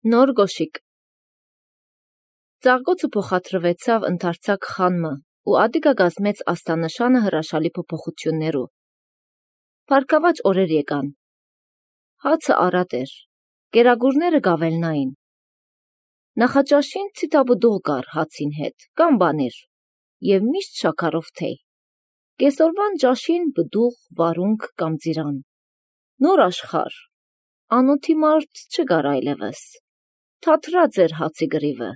Նոր գոշիկ Ծաղկոցը փոխադրվեցավ ընդարձակ խանմը ու ադիգա գազմեց աստանշանը հրաշալի փոփոխություններու։ Փառքաված օրեր եկան։ Հացը արատ էր, կերագուրները գավելնային։ Նախաճաշին ցիտաբուդուղ կար հացին հետ, կամ բանիր, և միշտ շաքարով թեյ։ Կեսօրվան ճաշին բդուղ, վարունգ կամ ծիրան։ Նոր աշխարհ, անոթի մարդ չկար այլևս։ Թատրած էր հացի գրիվը։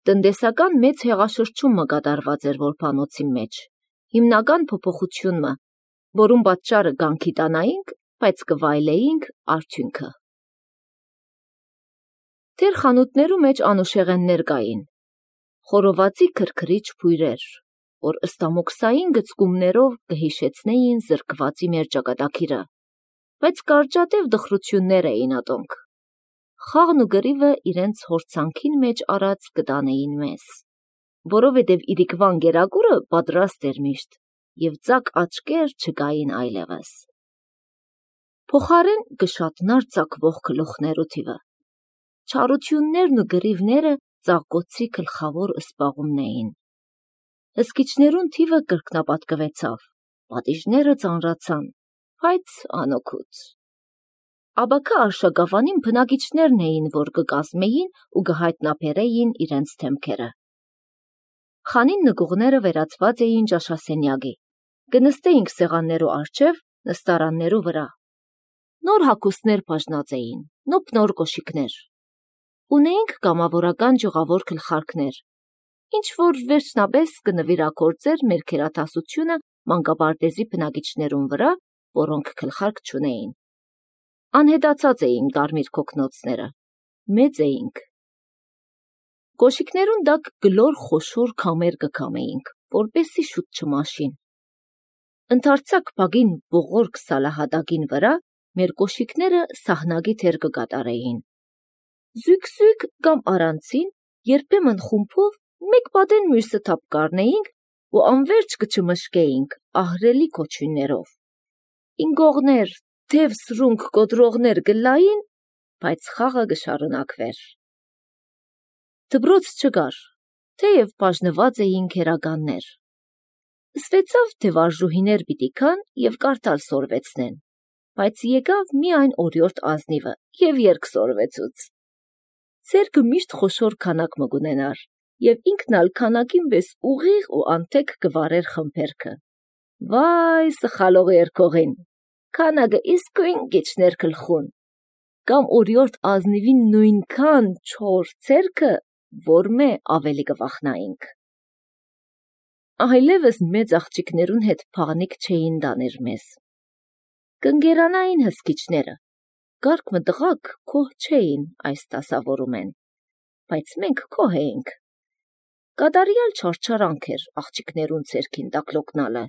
Տնտեսական մեծ հեղաշրջումը կատարված էր որբանոցի մեջ, հիմնական փոփոխությունը, որում պատճառը գանքի տանայինք, բայց կվայելեինք արդյունքը։ Թեր խանութներու մեջ անուշեղեններ կային, խորովածի քրքրիչ փույրեր, որ ըստամոքսային գծկումներով կհիշեցնեին զրկվածի մեր ճակատագիրը, բայց կարճատև դխրություններ էին ատոնք։ Խաղն ու գրիվը իրենց հորձանքին մեջ արած կտանեին մեզ, որովհետև իրիկվան գերագուրը պատրաստ էր միշտ, և ծակ աչկեր չկային այլևս։ Փոխարեն կշատնար ծակվող գլուխներու թիվը։ Չարություններն ու գրիվները ծաղկոցի գլխավոր սպաղումն էին։ Հսկիչներուն թիվը կրկնապատկվեցավ, պատիժները ծանրացան, բայց անօգուտ։ Աբակա արշակավանին բնակիչներն էին, որ կկազմեին ու կհայտնաբերեին իրենց թեմքերը։ Խանին նկուղները վերածված էին ճաշասենյակի, կնստեինք սեղաններու առջև, նստարաններու վրա։ Նոր հագուստներ բաժնած էին, նոր կոշիկներ։ Ունեինք կամավորական ջղավոր գլխարկներ, ինչ որ վերջնապես կնվիրագործեր մեր քերադասությունը մանկապարտեզի բնակիչներուն վրա, որոնք գլխարկ չունեին։ Անհետացած էին կարմիր կոկնոցները, մեծ էինք։ Կոշիկներուն տակ գլոր խոշոր քամեր կքամեինք, որպեսզի շուտ չմաշին։ Ընդարձակ բագին ողորկ սալահատակին վրա մեր կոշիկները սահնակի թեր կկատարեին։ Զույգ կամ առանցին, երբեմն խումբով մեկ պատեն մյուսը թափ կառնեինք ու անվերջ կչմշկեինք ահռելի կոչյուններով։ Ինգողներ, թև սրունք կոտրողներ գլային, բայց խաղը կշարունակվեր։ Դպրոց չկար, թեև բաժնված էին քերականներ։ Սկսվեցավ, թե վարժուհիներ պիտի գան և կարդալ սորվեցնեն, բայց եկավ միայն օրիորդ ազնիվը և երգսորվեցուց։ Ձեռքը միշտ խոշոր քանակ մը կունենար, և ինքն ալ քանակին պես ուղիղ ու անթեք կվարեր խմբերքը։ Վայ սխալող երգողին, քանակը իսկույն կիջներ գլխուն, կամ օրիորդ ազնիվին նույնքան չոր ձեռքը, որ մե ավելի կվախնայինք։ Այլևս մեծ աղջիկներուն հետ փաղնիկ չէին տաներ մեզ։ Կընկերանային հսկիչները, կարգ մը տղաք գոհ չէին այս դասավորում են, բայց մենք գոհ էինք։ Կատարյալ չարչարանք էր աղջիկներուն ձեռքին տակլոկնալը։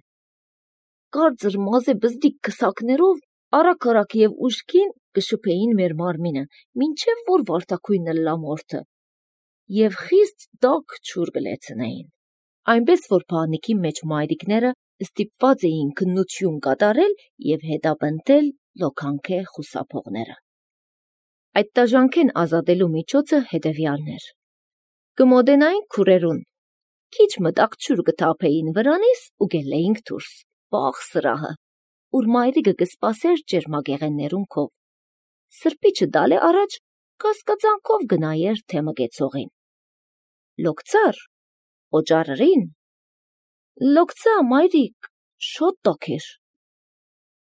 Կարծր մազե բզդիկ քսակներով արագ և ուժգին կշփեին մեր մարմինը, մինչև որ վարդագույնը լամորթը, և խիստ տաք ջուր կլեցնեին։ Այնպես որ փաղնիքի մեջ մայրիկները ստիպված էին քննություն կատարել և հետապնդել լոքանքե խուսափողները։ Այդ տաժանքեն ազատելու միջոցը հետևյալն էր. կմոտենայինք քուրերուն, քիչ մտակ ջուր կթափեին վրանից ու գելեինք դուրս, վաղ սրահը, ուր մայրիկը կսպասեր ջերմագեղեններուն քով։ Սրբիչը տալե առաջ կասկածանքով գնայեր թե մկեցողին։ Լոկցար, օճառրին, լոկցա մայրիկ, շոտ տաք էր։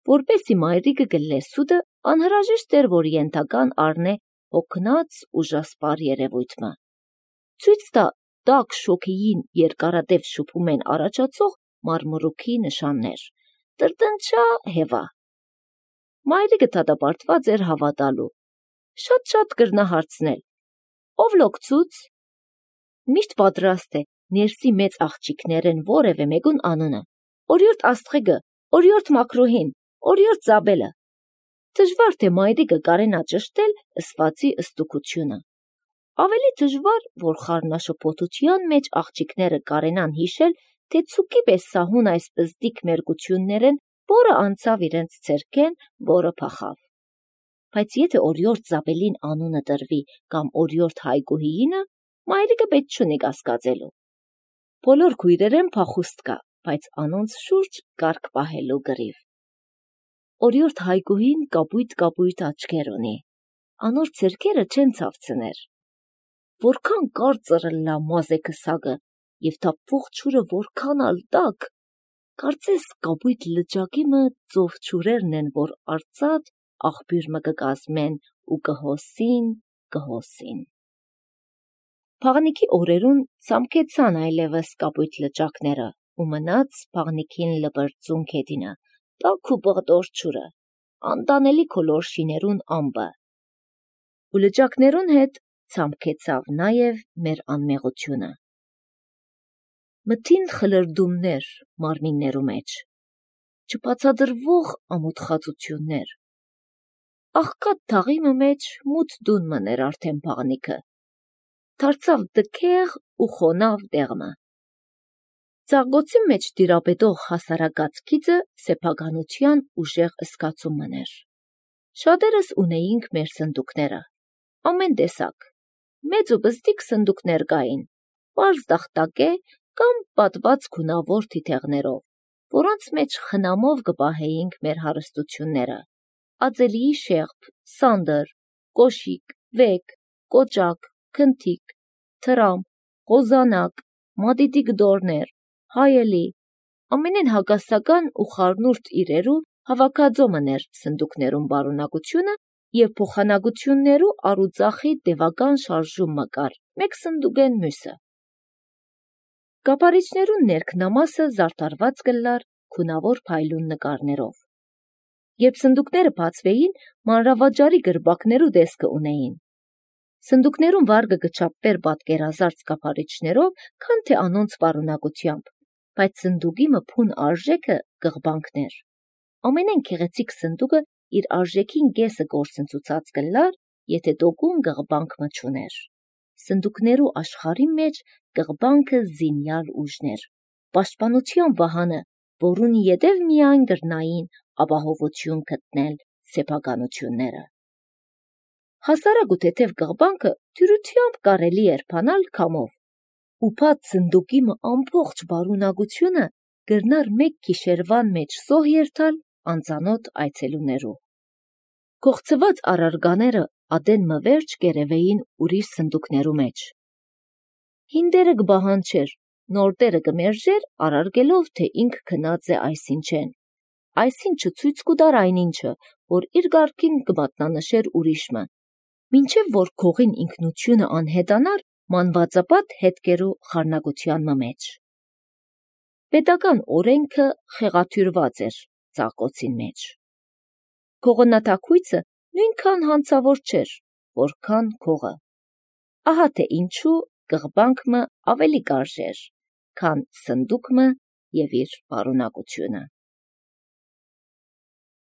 Որպեսի մայրիկը գլե սուտը, անհրաժեշտ էր, որ ենթական առնե հոգնած ուժասպար երևույթը։ Ցույց տա տաք շոգիին երկարատև շփումեն առաջացող մարմռուքի նշաններ, տրտնջա հևա։ Մայրիկը դատապարտված էր հավատալու, շատ կրնա հարցնել, ով լոկցուց, միշտ պատրաստ է ներսի մեծ աղջիկներեն որևէ մեկուն անունը, օրիորդ Աստղիկը, օրիորդ Մակրոհին, օրիորդ Զաբելը։ Դժվար թե մայրիկը կարենա ճշտել ըսվածի ստուգությունը։ Ավելի դժվար, որ խառնաշփոթության մեջ աղջիկները կարենան հիշել, թե ցուկի պես սահուն այս բզդիկ մերկություններեն, որը անցավ իրենց ձեռքեն, որը փախավ։ բայց եթե օրիորդ Զաբելին անունը տրվի կամ օրիորդ Հայգուհիինը, մայրիկը պետք չունի կասկածելու։ Բոլոր քույրերեն փախուստ կա, բայց անոնց շուրջ կարգ պահելու գրիվ։ Օրիորդ Հայգուհին կապույտ աչքեր ունի, անոր ձեռքերը չեն ցավցներ։ Որքան կարծր լա մազեքը սագը, եւ թափվող ջուրը որքան ալ տաք, կարծես կապույտ լճակի մը ծով ջուրերն են, որ արծաթ աղբյուր մը կկազմեն ու կհոսին։ Փաղնիքի օրերուն ցամքեցան այլևս կապույտ լճակները ու մնաց փաղնիքին լպրծուն քեդինը, տաք ու բղտոր ջուրը, անտանելի քոլոր շիներուն ամբը։ Ու լճակներուն հետ ցամքեցավ նաև մեր անմեղությունը։ Մթին խլրդումներ մարմիններու մեջ, չբացադրվող ամոթխածություններ։ Աղքատ թաղի մեջ մութ դուն մներ արդեն փաղնիքը, դարձավ դքեղ ու խոնավ դեղմը։ Ծաղկոցի մեջ տիրապետող հասարակած քիծը սեփականության ուժեղ ըսկացում մներ։ Շատերս ունեինք մեր սնդուկները, ամեն տեսակ, մեծ ու բզդիկ սնդուկներ կային, պարզ տախտակե կամ պատված քունավոր թիթեղներով, որոնց մեջ խնամով կպահեինք մեր հարստությունները, ածելիի շեղբ, սանդր, կոշիկ, վեկ, կոճակ, քնթիկ, թրամ, ղոզանակ, մատիտիկ դորներ, հայելի, ամենեն հակասական ու խառնուրդ իրերու հավաքածո մներ սնդուկներուն բարունակությունը եւ փոխանակություններու առուծախի տևական շարժում մկար, մեկ սնդուկեն մյուսը։ Կապարիչներուն ներքնամասը զարդարված կլար քունավոր փայլուն նկարներով։ Երբ սնդուկները բացվեին, մանրավաճառի գրբակներու տեսքը ունեին։ Սնդուկներուն վարգը կչափվեր պատկերազարդ կապարիչներով, քան թե անոնց պարունակությամբ, բայց սնդուկի մփուն արժեքը գղբանքներ։ Ամենեն գեղեցիկ սնդուկը իր արժեքին կեսը գործընծուցած կլար, եթե դոգուն գղբանք մը չուներ։ Սնդուկներու աշխարհի մեջ գղբանքը զինյալ ուժներ, պաշտպանության վահանը, որուն յետև միայն գրնային ապահովություն գտնել սեփականությունները։ Հասարակ ու թեթև գղբանքը դյուրությամբ կարելի էր փանալ քամով, ու բաց սնդուկի մը ամբողջ բարունակությունը գրնար մեկ գիշերվան մեջ սոհ երթալ անծանոթ այցելուներու։ Կողցված առարգաները ադեն մը վերջ կերևեին ուրիշ սնդուկներու մեջ։ Հին տերը կբահանջեր, նոր տերը կմերժեր, առարգելով, թե ինք քնած է այսինչեն, այսինչը ցույց կուտար այնինչը, որ իր գարկին կմատնանշեր ուրիշ մը, մինչև որ քողին ինքնությունը անհետանար մանվածապատ հետքերու խառնակության մեջ։ Պետական օրենքը խեղաթյուրված էր ծաղկոցին մեջ։ Քողնաթակույցը նույնքան հանցավոր չէր, որքան քողը։ Ահա թե ինչու գղբանք մը ավելի կարժեր, քան սնդուկ մը եւ իր պարունակությունը։